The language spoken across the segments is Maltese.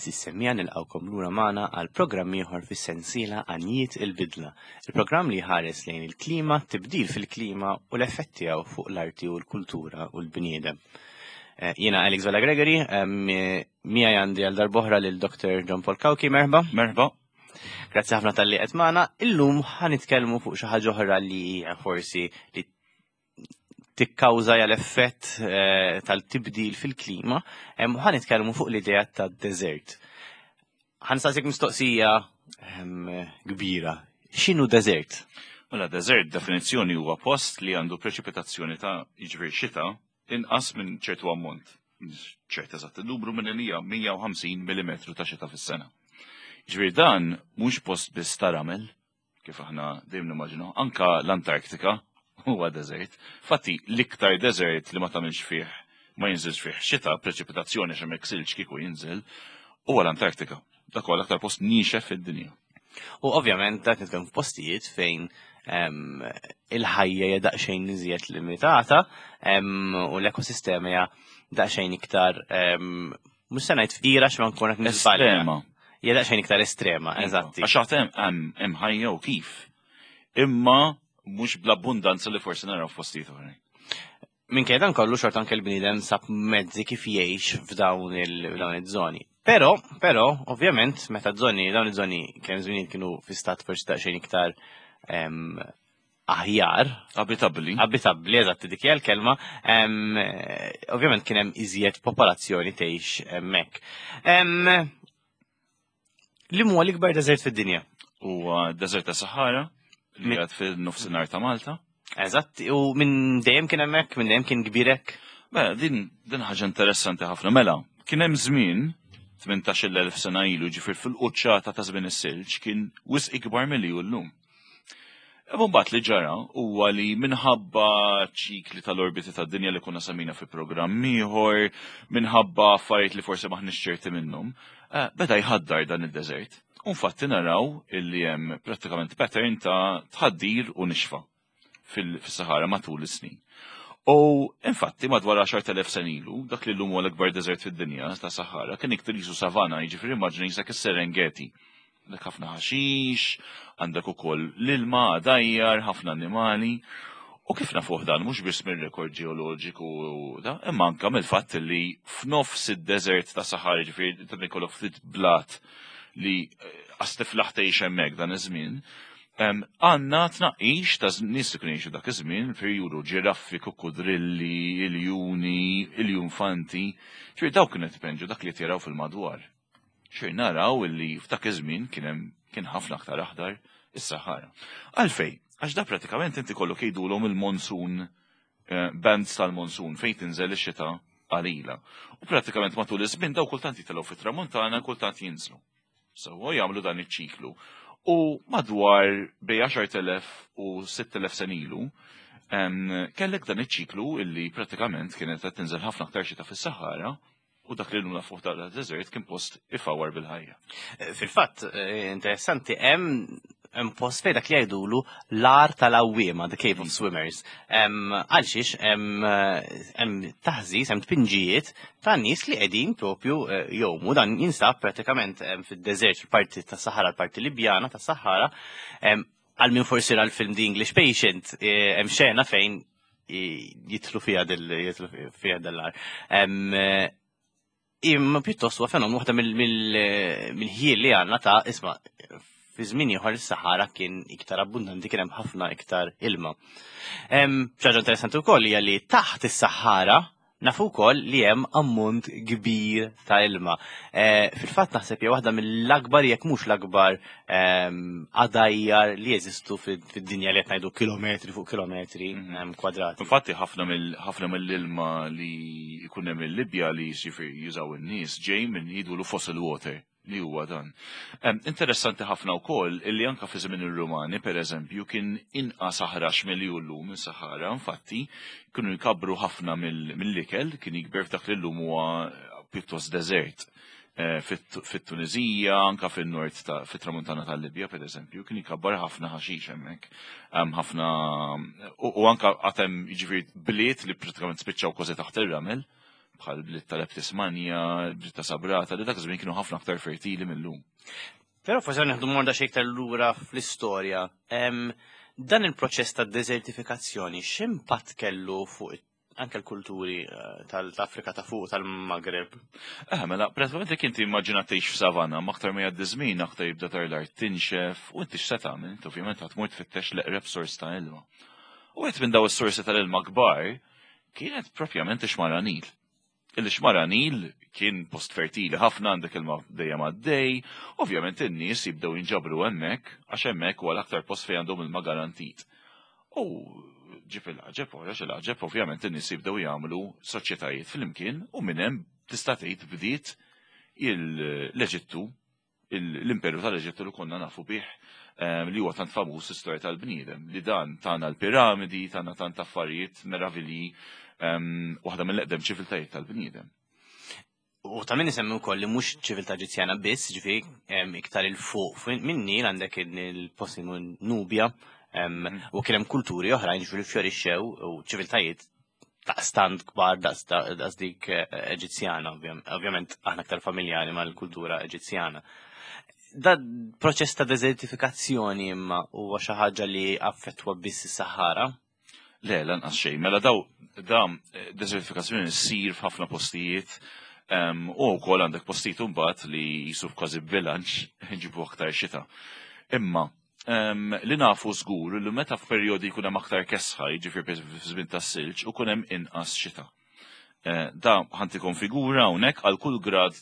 Għeżież semmiegħa nilqgħukom lura magħna għal programm ieħor fis-sensiela Għanjiet il-Bidla, il-programm li jħares lejn il-klima, tibdil fil-klima u l-effett tiegħu fuq l-arti u l-kultura u l-bniedem. Eh, jiena Alex Vella Gregory, miegħi għandi għal darboħra lil Dr. John Paul Cauchi, merħba. Merħba. Grazzi ħafna tal-li qed magħna. Illum ħanitkellmu fuq xi ħaġa oħra li hija forsi li tikkawża l-effett eh, tal-tibdil fil-klima, ħa nitkellmu fuq l-idea tad-deżert. Ħa nsaqsik mistoqsija kbira. X'inhu deżert? Mela deżert definizzjoni huwa post li għandu preċipitazzjoni ta' jiġifieri xita inqas minn ċertu ammont. ċert eżatt il-numru minn li hija 150 mm ta' xita fis-sena. Jiġifieri dan mhux post biss ta' ramel, kif aħna dejjem nimmaġinaw, anka l-Antarktika huwa deżert. Fatti, l-iktar deżert li ma tagħmilx fih ma jinżilx fih xita, preċipitazzjoni għax hemmhekk silġ kieku jinżel, huwa l-Antarktika. Dak huwa l-aktar post niexef fid-dinja. U ovvjament dak nitkellmu f'postijiet fejn il-ħajja hija daqsxejn iżjed limitata u l-ekosistema hija daqsxejn iktar mhux se ngħid fqira x'ma nkun qed niżbalja. Estrema. Hija daqsxejn iktar estrema, iva. eżatti. Għax għad hemm hemm ħajja u kif. Imma mhux bl-abbundanza li forsi naraw f'postijiet oħrajn. Minkejja dan kollu xorta anke l-bniedem sab mezzi kif jgħix f'dawn il-żoni. Però, però, ovvjament, meta żoni, dawn iż-żoni kemm żmien kienu fi stat forsi daqsxejn iktar aħjar. Abitabbli. Abitabbli, eżatt, dik hija l-kelma. Ovvjament kien hemm iżjed popolazzjoni tgħix hemmhekk. Li huwa l-ikbar deżert fid-dinja? Huwa deżert ta' Sahara, li għad fil-nofsinhar ta' Malta. Eżatt, u minn dejjem kien hemmhekk, minn dejjem kien kbirek. Mela, din din ħaġa interessanti ħafna. Mela, kien hemm żmien 18,000 sena ilu ġifier fil-quċċata ta' żmien is-silġ kien wisq ikbar milli hu llum. Imma mbagħad li ġara huwa li minħabba ċikli tal-orbiti tad-dinja li konna semmina fi programm ieħor, minħabba affarijiet li forsi maħniex ċerti minnhom, eh, beda jħaddar dan id-deżert. U infatti naraw illi hemm prattikament pattern ta' tħaddir u nixfa fil-Sahara matul is-snin. U infatti madwar 10,000 sen ilu, dak li llum huwa l-ikbar deżert fid-dinja ta' Sahara kien iktar jisu savana, jiġifieri immaġina jisek is-Serengeti. Għandek ħafna ħaxix, għandek ukoll l-ilma għadajjar, ħafna annimali. U kif nafuh dan mhux biss mir-rekord ġeoloġiku da, imma anke mill-fatt li f'nofs id-deżert ta' Sahara, ġifieri ta' ikollok ftit blat li eh, qas tiflaħ tgħix hemmhekk dan iż-żmien, għandna tnaqqix ta' nies li kienu jgħixu dak iż-żmien, fir juru ġiraffi, kukkudrilli, iljuni, iljunfanti, ġifieri dawk kienu qed dak li qed jaraw fil-madwar. Xejn naraw illi f'dak iż-żmien kien hemm kien ħafna aktar aħdar is-Sahara. Għalfejn? Għax da pratikament inti kollok jgħidulhom il-monsoon eh, bands tal-monsoon fejn tinżel ix-xita qalila. U pratikament matul iż-żmien daw kultant jitilgħu fit-tramuntana, kultant jinżlu. Sewwa jagħmlu dan iċ-ċiklu. U madwar bej 10,000 u 6,000 sen ilu, kellek dan iċ-ċiklu illi pratikament kienet qed tinżel ħafna aktar xita fis-Sahara U dak li llum nafuh ta' desert kien post ifawar bil-ħajja. Eh, fil-fatt, eh, interessanti, hemm hemm post fejn dak li jgħidulu l-ar tal-awwiema, the cave of mm. swimmers. Għalxiex hemm eh, taħżiż, hemm tpinġijiet ta' nies li qegħdin propju jowmu dan jinsab pratikament fid-deżert fil-parti tas Sahara, l-parti Libjana tas Sahara, għal min forsi ra l-film The English Patient, hemm xena fejn jitlu fija jitlu fija dell-ar. Eh, imma pjuttost huwa fenomenu waħda mill-ħjiel li għandna ta' isma' fi żmien ieħor is-Sahara kien iktar abbundanti kien hemm ħafna iktar ilma. Ħaġa interessanti wkoll hija li taħt is-Sahara Nafu wkoll li hemm ammont kbir ta' ilma. Eh, fil-fatt naħseb hija waħda mill-akbar jekk mhux l-akbar ehm, għadajjar li jeżistu fid-dinja li qed ngħidu kilometri fuq kilometri mhm. ehm, kwadrati. Infatti ħafna mill-ilma li jkun hemm il-Libja li jużaw in-nies ġej minn jidulu fossil water li huwa dan. Interessanti ħafna wkoll illi anka fi żmien ir-Rumani, pereżempju, kien inqas aħrax milli hu llum is-Sahara, infatti kienu jkabbru ħafna mill-ikel, kien jikber f'dak li llum huwa pjuttost deżert. Eh, fit-Tunizija, anka fin-nord fit-tramuntana tal-Libja, per eżempju, kien jikabbar ħafna ħaxix hemmhekk. Ħafna u anka għatem jiġifieri bliet li pratikament spiċċaw kważi taħt ir-ramel. bħal bliet tal-Leptis Magna, bliet ta' Sabrata, li dak iż-żmien kienu ħafna aktar fertili mill-lum. Però forsi nieħdu morda xi iktar lura fl-istorja. Dan il-proċess ta' desertifikazzjoni x'impatt kellu fuq anke l-kulturi eh, tal-Afrika ta' fuq tal-Maghreb? Eh, mela, pratikament jekk inti immaġina tgħix f'savana, ma aktar ma jgħaddi żmien aktar jibda tar l-art tinxef u inti x'se tagħmel, inti ovvjament ħadd tmur tfittex l-eqreb sors ta' ilma. U qed minn daw is-sorsi tal-ilma kbar kienet propjament ix-xmara Nil. Il-xmara Nil kien post fertili ħafna għandek ilma dejjem għaddej, ovvjament in-nies jibdew jinġabru hemmhekk għax hemmhekk huwa l-aktar post fejn għandhom ilma garantit. U ġib il-għaġeb, għax il-għaġeb ovvjament in-nies jibdew jagħmlu soċjetajiet flimkien u minn hemm tista' tgħid bdiet l-Eġittu l-imperu tal-Eġittu li konna nafu bih ehm, li huwa tant famuż istorja tal-bniedem li dan tana l-piramidi, tana tant affarijiet meravilji ehm, waħda mill-eqdem ċiviltajiet tal-bniedem. U ta' min isemmi wkoll li mhux ċiviltà Eġizzjana biss, ġifieri ehm, iktar il fuq minn Nil għandek il-post Nubja u kien hemm kulturi oħrajn ġifieri fjorixxew u ċiviltajiet daqstant kbar daqs dik eh, Eġizzjana, ovvjament aħna aktar familjari mal-kultura Eġizzjana. Da proċess ta' desertifikazzjoni imma huwa xi ħaġa li affettwa biss is-Sahara? Le, lanqas xejn. Mela daw da eh, desertifikazzjoni ssir f'ħafna postijiet u wkoll għandek postijiet imbagħad li jisu kważi bilanċ ġibu aktar xita. Imma Li nafu żgur li meta f'perjodi jkun hemm aktar kesħa, jiġifieri f'żmien tas-silġ, ukun hemm inqas xita. Eh, da ħantikom figura hawnhekk għal kull grad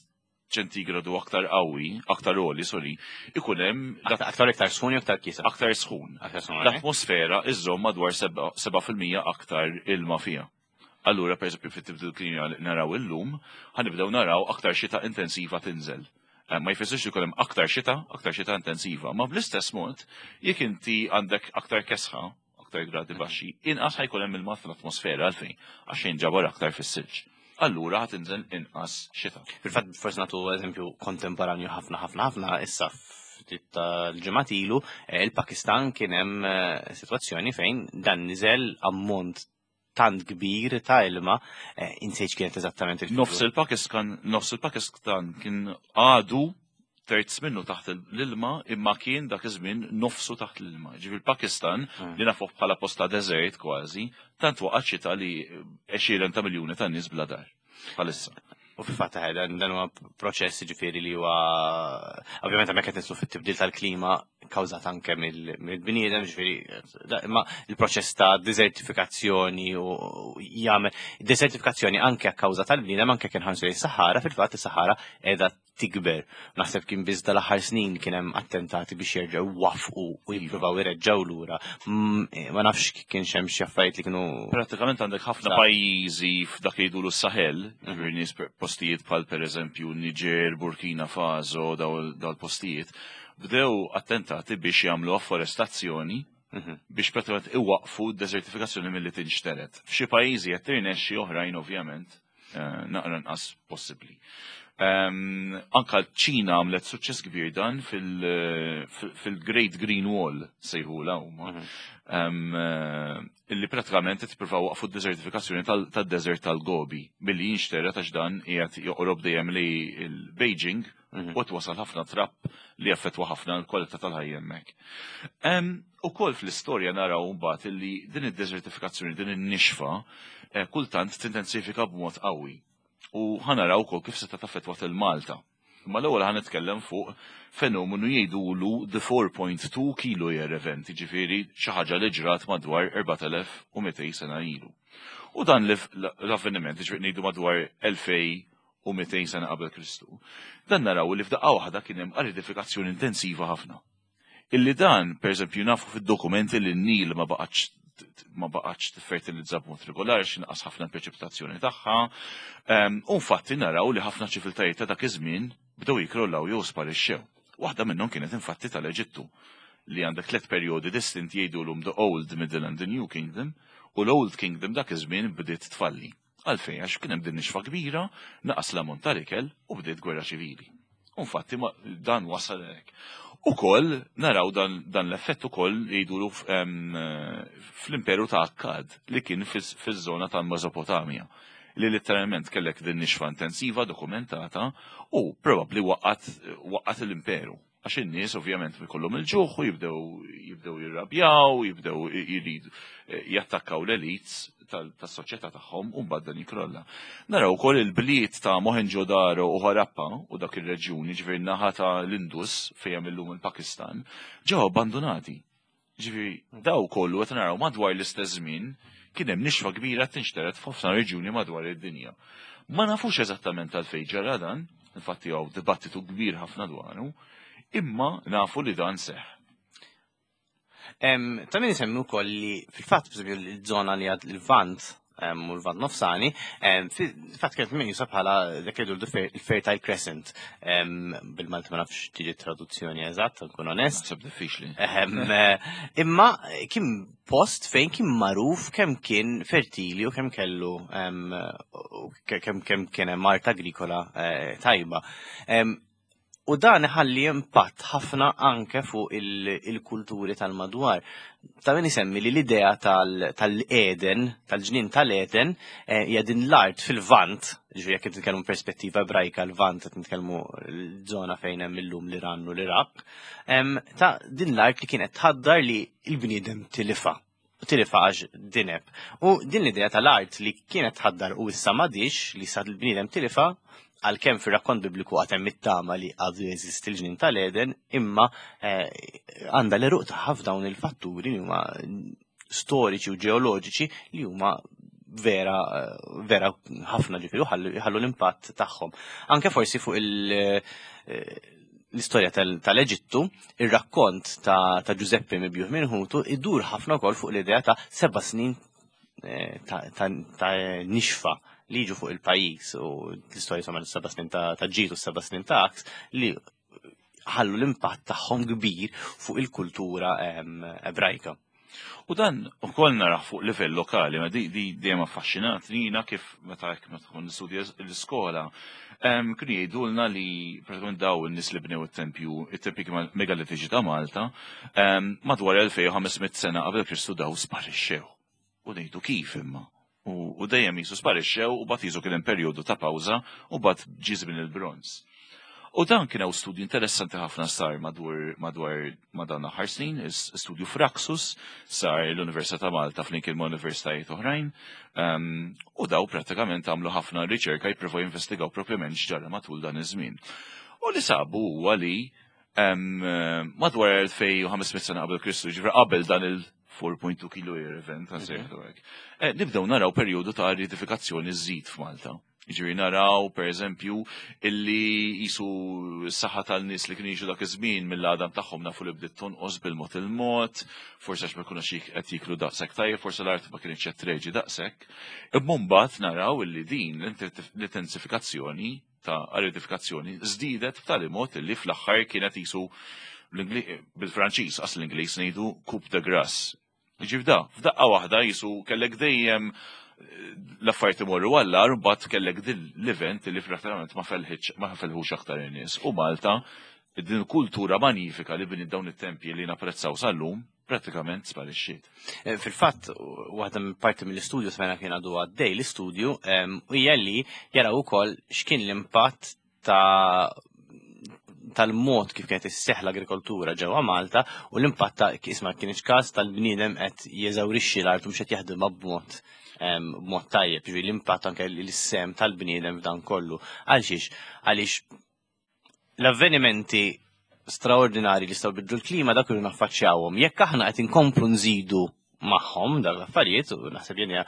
ċentigradu aktar qawwi, aktar għoli, sorry, ikun hemm aktar iktar sħun jew aktar kisa? Aktar sħun. L-atmosfera iżżomm madwar 7% aktar ilma fiha. Allura, per eżempju, fit-tibdil klima li naraw illum, ħanibdew naraw aktar xita intensiva tinżel. Eh, ma jfissirx li hemm aktar xita, aktar xita intensiva, ma bl-istess mod, jekk inti għandek aktar kesħa, aktar gradi mhm. baxxi, inqas ħajkun hemm ilma fl-atmosfera għalfejn, għax jinġabar aktar fis-silġ. Allura ħat inżel inqas xita. Fil-fatt forsi nagħtu eżempju kontemporanju ħafna ħafna ħafna issa ftit tal-ġimgħat ilu, eh, il-Pakistan kien hemm eh, sitwazzjoni fejn dan niżel ammont tant kbir ta' ilma, eh, insejt kienet eżattament il Nofs il-Pakistan, nofs il-Pakistan kien għadu terz minnu taħt l-ilma imma kien dak iż-żmien nofsu taħt l-ilma. Ġifieri il-Pakistan hmm. li nafuh bħala posta deżert kważi, tant waqgħet xita li għexieren ta' miljuni ta' nies bla dar bħalissa. U fil-fatt eh, dan huwa proċess ġifieri li huwa ovvjament hemmhekk qed nitlu fit-tibdil tal-klima kawżat anke mill-bniedem, ġifieri imma il-proċess ta' desertifikazzjoni u jagħmel desertifikazzjoni anke kawża tal-bniedem anke kien ħansu is-Sahara, fil-fatt is-Sahara qiegħda tikber. Naħseb kien biss dal-aħħar snin kien hemm attentati biex jerġgħu wafqu u jippruvaw ireġġgħu lura. Mm, eh, ma nafx kien hemm xi affarijiet li kienu. Prattikament għandek ħafna pajjiżi f'dak li jgħidulu s-Sahel, mhm. ġifieri nies postijiet bħal pereżempju Niġer, Burkina Faso, daw l-postijiet, bdew attentati biex jagħmlu afforestazzjoni mhm. biex prattikament iwaqfu d-desertifikazzjoni milli tinxteret. F'xi pajjiżi qed tirnexxi oħrajn ovvjament Eh, naqra nqas possibbli. Ehm, anka ċina għamlet suċċess kbir dan fil-Great Green Wall sejħula huma. Mhm. Ehm, eh, illi pratikament qed jippruvaw waqfu d-desertifikazzjoni tad-desert tal-Gobi billi jinxtera għax dan qiegħed joqrob dejjem li l-Beijing mhm. u wasal ħafna trapp li jaffettwa ħafna l-kwalità tal-ħajja hemmhekk. Ehm, Ukoll fl-istorja naraw mbagħad illi din id-desertifikazzjoni, din in-nixfa, eh, kultant tintensifika b'mod qawwi. U ħa naraw ukoll kif seta' taffettwat il-Malta. Imma l-ewwel ħa nitkellem fuq fenomenu jgħidulu the 4.2 kilo year event, jiġifieri xi ħaġa li ġrat madwar 4200 sena ilu. U dan l-avveniment, jiġifieri ngħidu madwar 2200 sena qabel Kristu, dan naraw li f'daqqa waħda kien hemm aridifikazzjoni intensiva ħafna. Illi dan, per eżempju, nafu fid-dokumenti li n-Nil ma baqgħetx ma baqgħetx tiffertilizza b'mod regolari x'inqas ħafna preċipitazzjoni tagħha. Ehm, u infatti naraw li ħafna ċiviltajiet ta' dak iż-żmien bdew jikrollaw jew sparixxew. Waħda minnhom kienet infatti tal-Eġittu li għandek tliet perjodi distinti jgħidulhom the Old, Middle and the New Kingdom u l-Old Kingdom dak iż-żmien bdiet tfalli. Għalfejn? Għax kien hemm din nixfa kbira, naqas l-ammont tal-ikel u bdiet gwerra ċivili. U infatti dan wasal hekk. Ukoll naraw dan, dan l-effett ukoll jgħidulu fl-imperu ta' Akkad li kien fiż-żona ta' Mesopotamja. Li letteralment kellek din nixfa intensiva dokumentata u probabbli waqqat l-imperu. Għax in-nies ovvjament ikollhom il-ġuħ u jibdew jirrabjaw, jibdew jridu jattakkaw l-elites tas-soċjetà tagħhom u mbagħad dan jikrolla. Naraw ukoll il-bliet ta' Mohenjo-Daro u Harappa u dak ir-reġjuni, ġifieri naħa ta' l-Indus fejn hemm illum il-Pakistan, ġew abbandunati. Ġifieri daw kollu qed naraw madwar l-istess żmien kien hemm nixfa kbira tinxtered f'ħafna reġjuni madwar id-dinja. Ma nafux eżattament għalfejn ġara dan, infatti hawn dibattitu kbir ħafna dwaru, imma nafu li dan seħħ. Ta' min isemmi wkoll li fil-fatt b'eżempju l-żona li għad il-Lvant u l-Lvant Nofsani, fil-fatt kienet meqjusa bħala dak li jgħidu il-Fertile Crescent. Bil-Malti ma nafx tiġi traduzzjoni eżatt, nkun onest. Naħseb diffiċli. Imma kien post fejn kien magħruf kemm kien fertili u kemm kellu kemm kien hemm art agrikola tajba. U dan iħalli impatt ħafna anke fuq il-kulturi tal-madwar. Ta' min isemmi li l-idea tal-Eden, tal-ġnien tal-Eden, hija din l-art fil-Lvant, ġifieri jekk qed nitkellmu perspettiva Ebrajka l-Lvant qed nitkellmu l-żona fejn hemm illum l-Iran u l-Iraq, ta' din l-art li kienet tħaddar li l-bniedem tilifha. Tilifha għax dineb. U din l-idea tal-art li kienet tħaddar u issa m'għadix li sa l-bniedem tilifha, għalkemm fir-rakkont bibliku għad hemm it-tama li għadu jeżisti l-ġnien tal-Eden, imma għandha l-għeruq tagħha f'dawn il-fatturi li huma storiċi u ġeoloġiċi li huma vera vera ħafna ġifieri u ħallu l-impatt tagħhom. Anke forsi fuq l-istorja tal-Eġittu, ir-rakkont ta' Ġużeppi mibjuħ minn ħutu idur ħafna wkoll fuq l-idea ta' 7 snin ta' nixfa li jiġu fuq il-pajjiż u l-istorja insomma 7 snin ta' ġid u 7 snin ta' għaks li ħallu l-impatt tagħhom kbir fuq il-kultura Ebrajka. U dan ukoll naraħ fuq livell lokali, ma di dejjem affaxxinat nina kif meta hekk meta tkun nistudja l-iskola, kienu jgħidulna li pratikament daw in-nies li bnew it-tempju, it-tempji megalitiċi ta' Malta, madwar 2500 sena qabel Kristu daw sparixxew. U ngħidu kif imma? U dejjem jisu sparixxew u bad jisu kien hemm perjodu ta' pawża u bad ġie żmien il-bronż. U dan kien hawn studju interessanti ħafna sar madwar ma' dan l-aħħar snin, studju Fraxus sar l-Università ta' Malta flimkien ma' universitajiet oħrajn, u daw prattikament għamlu ħafna riċerka jippruvaw jinvestigaw propjament x'ġara matul dan iż-żmien. U li sabu huwa li madwar 2500 sena qabel Kristu, ġifieri qabel dan il 4.2 kilo year event, għan hekk. Nibdew naraw perjodu ta' ariditifikazzjoni żżid f'Malta. Jiġifieri naraw, per eżempju, illi jisu s-saħħa tal-nies li kienu jiġu dak iż-żmien mill-għadam tagħhom nafu li bdiet tonqos bil-mod il-mod, forsi għax ma jkunux qed jiklu daqshekk tajjeb, forsi l-art ma kienx qed treġi daqshekk. Imma mbagħad naraw illi din l-intensifikazzjoni ta' aridifikazzjoni żdiedet b'tali mod illi fl-aħħar kienet jisu bil-Franċiż, qas l-Ingliż ngħidu coup de grâce. Ġif da, f'daqqa waħda jisu kellek dejjem l-affarijiet imorru għall-agħar, u mbagħad kellek din l-event li prattikament ma felħitx, ma felħux aktar in-nies. U Malta, din kultura manifika li bniet dawn it-tempji li napprezzaw sal-lum, prattikament sparixxiet. Fil-fatt, waħda minn parti mill-istudju smajna kien għadu għaddej l-istudju, hija li jaraw ukoll x'kien l-impatt tal-mod kif kienet isseħħ l-agrikoltura ġewwa Malta u l-impatt ta' isma' kienx każ tal-bniedem qed jeżawrixxi l-art u mhux qed jaħdimha b'mod tajjeb, ġifieri l-impatt anke l-sem tal-bniedem f'dan kollu. Għalxiex? Għaliex l-avvenimenti straordinari li jistgħu jbiddlu l-klima dak irridu naffaċċjawhom. Jekk aħna qed inkomplu nżidu magħhom dawn l-affarijiet, u naħseb li hija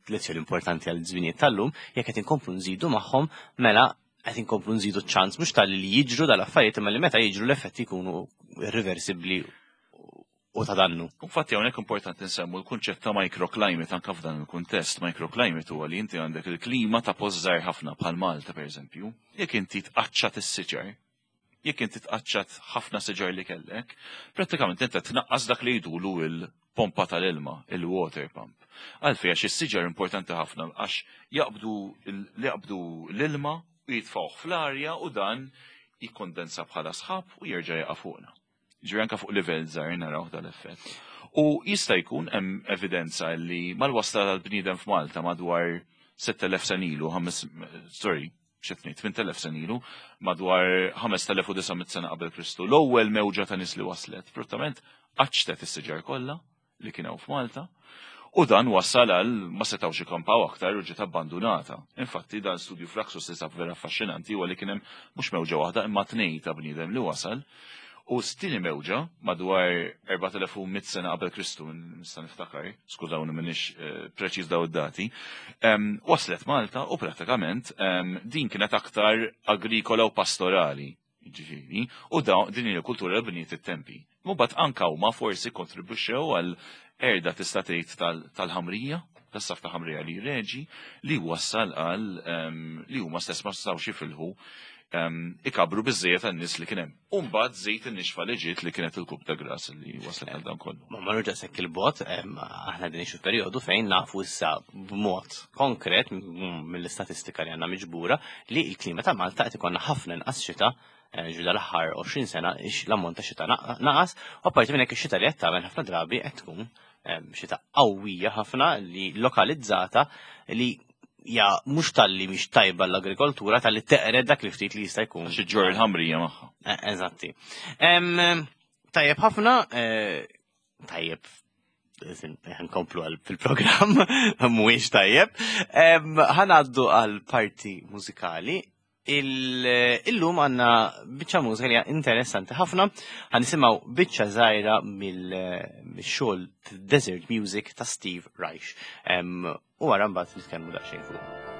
lezzjoni importanti għal żminijiet tal-lum, jekk qed inkomplu nżidu magħhom, mela qed inkomplu nżidu ċ-ċans mhux tal-li jiġru dal-affarijiet imma li meta jiġru l-effetti jkunu irreversibbli u ta' dannu. Infatti hawnhekk importanti nsemmu l-kunċett ta' microclimate anke f'dan il-kuntest. Microclimate huwa li inti għandek il-klima ta' post żgħir ħafna bħal Malta pereżempju. Jekk inti tqaċċat is-siġar, jekk inti tqaċċat ħafna siġar li kellek, prattikament inti tnaqqas dak li jgħidulu il-pompa tal-ilma, il-water pump. Għalfejn għax is-siġar importanti ħafna għax jaqbdu l-ilma u jitfgħuh fl-arja u dan jikkondensa bħala sħab u jerġa' jaqa' fuqna. Ġifieri anke fuq livell żgħir naraw dal-effett. U jista' jkun hemm evidenza li mal-wasla tal-bniedem f'Malta madwar 6000 sena ilu, sorry, xetni, 8000 sena ilu, madwar 5900 sena qabel Kristu. L-ewwel mewġa ta' nies li waslet, prattament qaċċtet is-siġar kollha li kien hawn f'Malta. U dan wassal għal ma setgħux ikampaw aktar u ġiet abbandunata. Infatti dan studju Fluxus li sab vera affaxxinanti huwa li kien hemm mhux mewġa waħda imma tnejn ta' bniedem li wasal. U s-tieni mewġa madwar 4100 sena qabel Kristu, nista' niftakar, skużawni m'iniex eh, preċiż daw id-dati, waslet Malta u pratikament din kienet aktar agrikola u pastorali, ġifieri, u din il-kultura li bniet it-tempi. Mbagħad anka huma forsi kontribwixxew għal erda tista' tgħid tal-ħamrija, tas-saf ta' ħamrija li reġi, li wassal għal li huma stess ma setgħux jifilħu ikabru biżżejjed għan-nies li kien hemm. U mbagħad żejt in-nixfa li ġiet li kienet il-kub ta' gras li waslet għal dan kollu. Ma marruġa sekk il-bot, aħna din xi perjodu fejn nafu issa b'mod konkret mill-istatistika li għandna miġbura li l-klima ta' Malta qed ikollna ħafna inqas xita Eh, ġu dal-aħħar 20 sena l-ammont ta' xita naqas, u apparti minn hekk ix-xita li qed tagħmel ħafna drabi qed tkun eh, xita qawwija ħafna li lokalizzata li ja mhux talli mhix tajba l-agrikoltura talli teqred dak li ftit li jista' jkun. Xi ġor il-ħamrija magħha. Eh, eżatti. Tajjeb ħafna, tajjeb nkomplu għal fil-programm, mhuwiex tajjeb. Ħanaddu għal parti mużikali Illum għanna biċċa mużika li interessanti ħafna, ħanisimgħu biċċa żgħira mill-xogħol Desert Music ta' Steve Reich. U wara mbagħad nitkellmu daqsxejn fuq.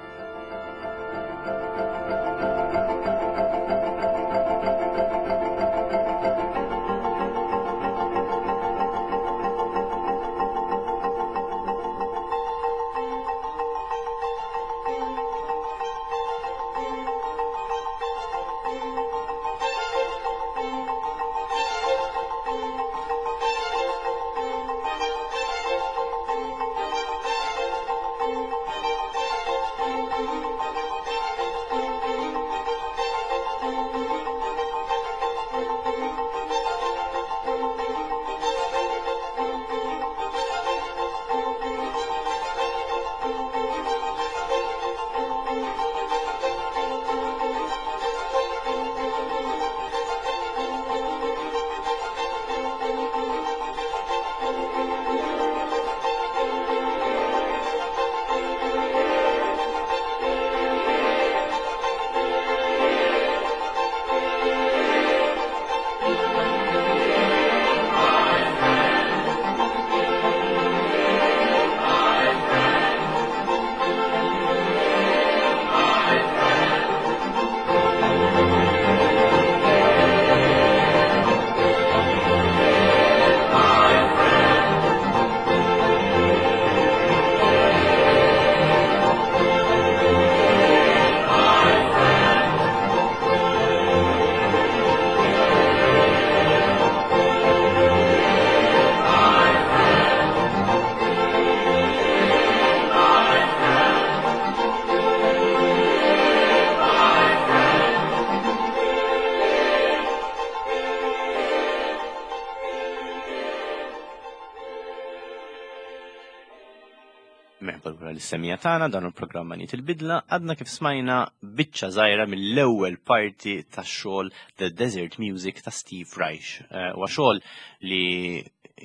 Merħba lura lis-semija tagħna dan il-programm Għaniet il-Bidla għadna kif smajna biċċa żgħira mill-ewwel parti tax-xogħol The Desert Music ta' Steve Reich. Eh, huwa xogħol li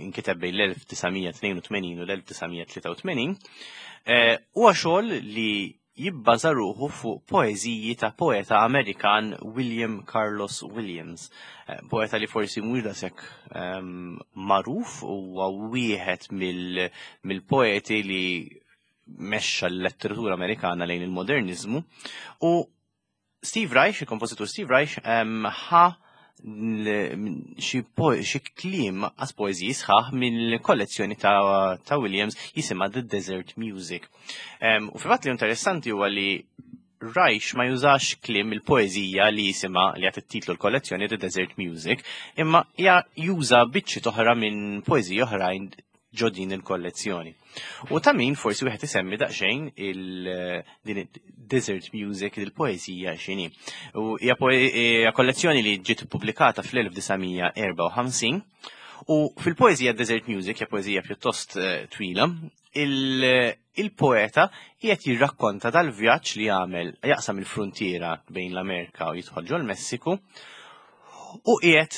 nkiteb bejn l-1982 u l-1983. Eh, huwa xogħol li jibbaża ruħu fuq poeżiji ta' poeta Amerikan William Carlos Williams. Eh, poeta li forsi mhux daqshekk ehm, magħruf huwa wieħed mill-poeti li mexxa l-letteratura Amerikana lejn il-modernizmu u Steve Reich, il-kompożitur Steve Reich, ehm, ħa xi kliem għas poeżiji sħaħ mill-kollezzjoni ta', ta Williams jisimha The Desert Music. U fil-fatt li interessanti huwa li Reich ma jużax kliem il-poeżija li jisimha li għat titlu l-kollezzjoni The Desert Music, imma juża biċċi toħra minn poeżiji oħrajn ġo din il-kollezzjoni. U ta' min forsi wieħed isemmi daqsxejn il-din desert music il-poeżija x'inhi. U hija kollezzjoni li ġiet ippubblikata fl-1954 U fil-poeżija Desert Music, hija poeżija pjuttost eh, twila, il-poeta qiegħed jirrakkonta dal-vjaġġ li għamel jaqsam il-fruntiera bejn l-Amerika u jidħol ġol-Messiku u qiegħed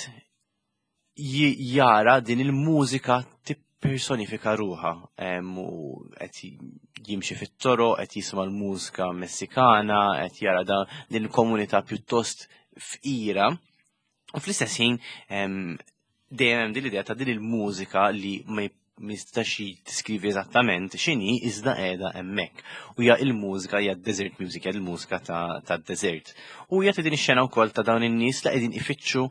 jara din il-mużika tippersonifika ruħha u qed jimxi fit-toroq, qed jisma' l-mużika Messikana, qed jara da din il-komunità pjuttost fqira. U fl-istess ħin dejjem hemm din l-idea ta' din il-mużika li ma jistax tiskrivi eżattament x'inhi iżda qiegħda hemmhekk. U hija il-mużika hija desert music, hija il-mużika ta' desert. U hija din ix-xena wkoll ta' dawn in-nies li qegħdin ifittxu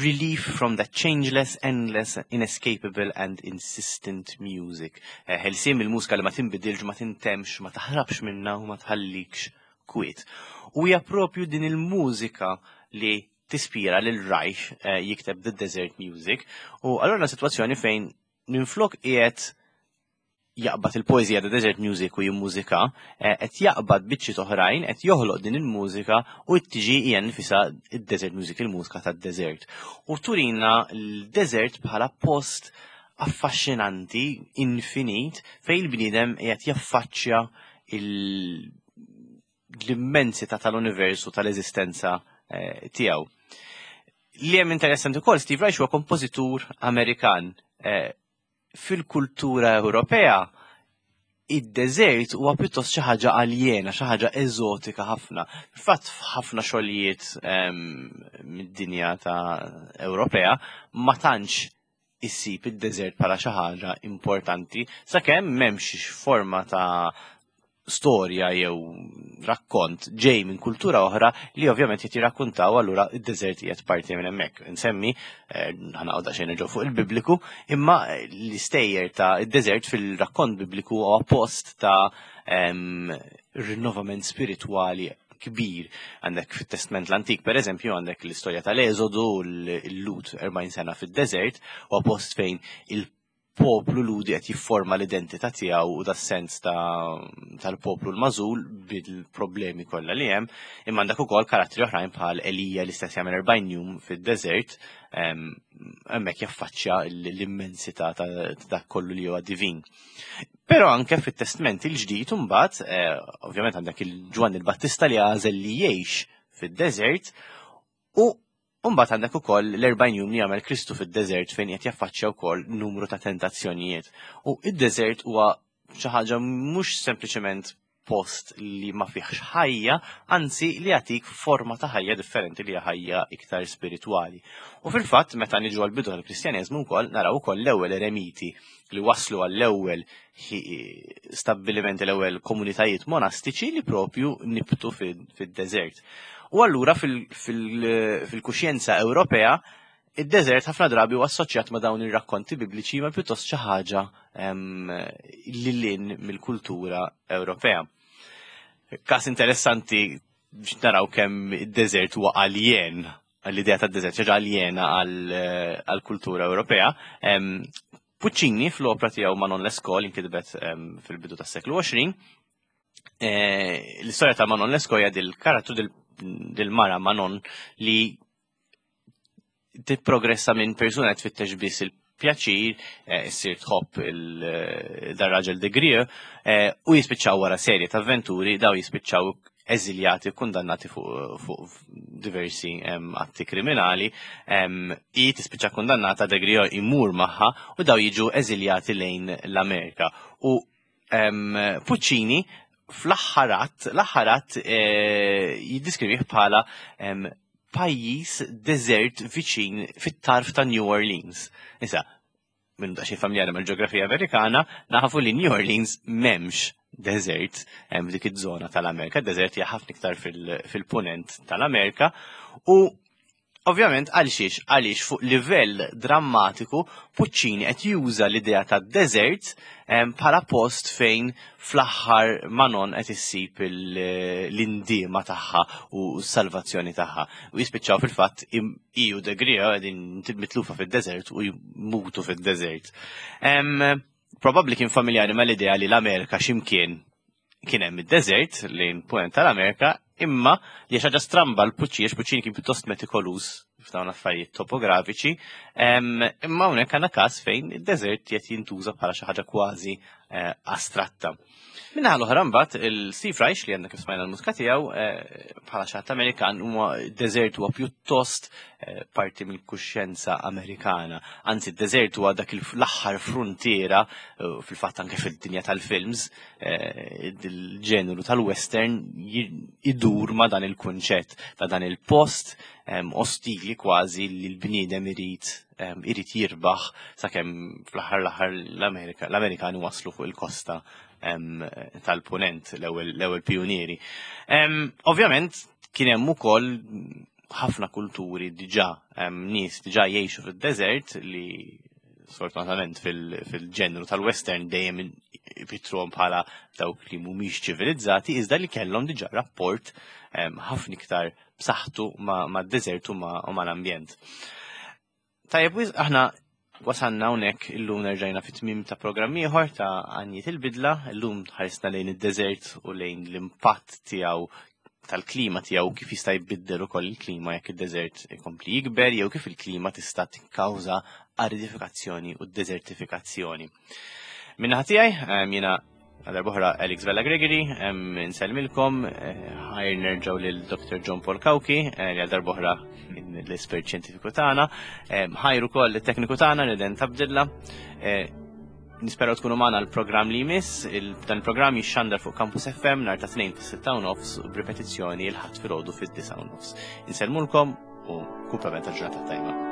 relief from that changeless, endless, inescapable and insistent music. Eh, ħelsien mill-mużika li ma tinbidilx, ma tintemx, ma taħrabx minna u ma tħallikx kwiet. U hija propju din il-mużika li tispira lil Reich eh, jikteb The Desert Music u allura situazzjoni fejn minflok qiegħed jaqbad il-poeżija The Desert Music u jimmużika, eh, qed jaqbad biċċiet oħrajn, qed joħloq din il-mużika u tiġi hija nfisha id-Desert Music, il-mużika tad-desert. U turina l-desert bħala post affaxxinanti, infinit, fejn il-bniedem qiegħed jaffaċċja l-immensità tal-univers u tal-eżistenza eh, tiegħu. Li hemm interessanti wkoll Steve Reich huwa kompożitur Amerikan. Eh, fil-kultura Ewropea id-deżert huwa pjuttost xi ħaġa aljena, xi ħaġa eżotika ħafna. Fil-fatt f'ħafna xogħlijiet ehm, mid-dinja ta' Ewropea ma tantx issib id-deżert bħala xi ħaġa importanti sakemm m'hemmx forma ta' storja jew rakkont ġej minn kultura oħra li ovvjament qed jirrakkuntaw allura id-deżert qiegħed parti minn hemmhekk. Insemmi eh, ħanaqgħod daqsxejn nerġgħu fuq il-Bibliku, imma l-istejjer ta' id-deżert fil-rakkont Bibliku huwa post ta' rinnovament spiritwali kbir. Għandek fit-Testment l-Antik, per eżempju, għandek l-istorja tal-Eżodu, l-Lut 40 sena fid-deżert, u post fejn il-poplu Ludi qed jifforma l-identità tiegħu u das-sens tal-poplu l-mażul bil-problemi kollha li hemm, imma għandek ukoll karattri oħrajn bħal Elija li stess jagħmel 40 jum fid-deżert, hemmhekk jaffaċċja l-immensità ta' dak kollu li huwa divin. Però anke fit-Testment il-Ġdid imbagħad, eh, ovvjament għandek il-Ġwanni l-Battista li għażel li jgħix fid-deżert u mbagħad għandek ukoll l-40 jum li jagħmel Kristu fid-deżert fejn qed jaffaċċja wkoll numru ta' tentazzjonijiet. U id-deżert huwa xi ħaġa mhux sempliċement post li ma fihx ħajja, anzi li jagħtik forma ta' ħajja differenti li hija ħajja iktar spiritwali. U fil-fatt meta niġu għal bidu tal-Kristjaneżmu wkoll naraw ukoll l-ewwel eremiti li waslu għall-ewwel stabbilimenti l-ewwel komunitajiet monastiċi li propju nibtu fid-deżert. U allura fil-kuxjenza Ewropea Id-deżert ħafna drabi huwa assoċjat ma' dawn ir-rakkonti bibliċi ma' pjuttost xi ħaġa lil hinn mill-kultura Ewropea. Każ interessanti biex naraw kemm id-deżert huwa aljen l-idea tad-deżert xi ħaġa aljena għall-kultura Ewropea. Puccini fl-opra tiegħu Manon Lescaut li nkitbet fil-bidu tas-seklu 20, eh, l-istorja ta' Manon Lescaut hija dil-karattru dil-mara Manon li tipprogressa minn persuna qed tfittex biss il-pjaċir, eh, issir tħobb il-dar-raġel eh, de Grieux, eh, u jispiċċaw wara serje ta' avventuri, daw jispiċċaw eżiljati u kundannati fuq diversi atti kriminali, i tispiċċa kundannata de Grieux imur magħha u daw jiġu eżiljati lejn l-Amerika. U Puccini fl-aħħar att, l-aħħar att jiddiskrivih bħala pajjiż deżert viċin fit-tarf ta' New Orleans. Issa, minn da xi familjari mal-ġeografija Amerikana, nafu li New Orleans m'hemmx deżert hemm dik iż-żona tal-Amerika, deżert hija ħafna iktar fil-punent tal-Amerika u Ovvjament għal xiex? Għaliex fuq livell drammatiku Puccini qed juża l-idea ta' deżert bħala post fejn fl-aħħar Manon qed issib l-indiema tagħha u s-salvazzjoni tagħha. U jispiċċaw fil-fatt hi u De Grieux qegħdin mitlufa fid-deżert u jmutu fid-deżert. Probabbli kien familjari mal-idea li l-Amerika x'imkien kien hemm id-deżert lejn punent tal-Amerika, imma li xi ħaġa stramba l Puccini, għax Puccini kien pjuttost metikoluż f'dawn affarijiet topografiċi, imma hawnhekk għandna każ fejn id-deżert qed jintuża bħala xi ħaġa kważi eh, astratta. Minnaħa l-oħra mbagħad il-Steve Reich li għandna kif smajna l-mużika tiegħu eh, bħala xi ħadd Amerikan huwa deżert huwa pjuttost eh, parti mill-kuxjenza Amerikana. Anzi, d-deżert huwa dak l-aħħar fruntiera fil-fatt anke fid-dinja tal-films, il-ġeneru tal-western idur ma' dan il-kunċett ta' dan il-post ostili kważi li l-bniedem irid irid jirbaħ sakemm fl-aħħar l-aħħar l-Amerika l-Amerikani waslu fuq il-kosta tal-punent l-ewwel pionieri. Ovvjament kien hemm ukoll ħafna kulturi diġà nies diġà jgħixu fid-deżert li sfortunatament fil-ġenru tal-western dejjem pitruhom bħala dawk li mhumiex ċivilizzati iżda li kellhom diġà rapport ħafna iktar b'saħħtu mad-deżert u mal-ambjent. Tajjeb, aħna wasanna hawnhekk illum nerġajna fit-tmiem ta' programm ieħor ta' Għanjiet il-Bidla, illum ħarisna lejn id-deżert u lejn l-impatt tiegħu tal-klima tiegħu kif jista' jbiddel ukoll il-klima jekk id-deżert ikompli jikber jew kif il-klima tista' tikkawża aridifikazzjoni u deżertifikazzjoni. Minnaħa tiegħi jiena għal boħra Alex Vella Gregory, nsellmilkom, eh, ħajr nerġgħu lil Dr. John Paul Cauchi, eh, li għal darbohra l-espert xjentifiku tagħna, ħajr ukoll it-tekniku tagħna Reden Tabdilla. Eh, nisperaw tkunu magħna l-programm li jmiss, dan il-programm jixxandar fuq Campus FM nhar ta' tnejn fis-6 nofs u b'ripetizzjoni l-ħadd filgħodu fid-9 nofs. Insellmulkom u kumplament ta' ġurnata tajba.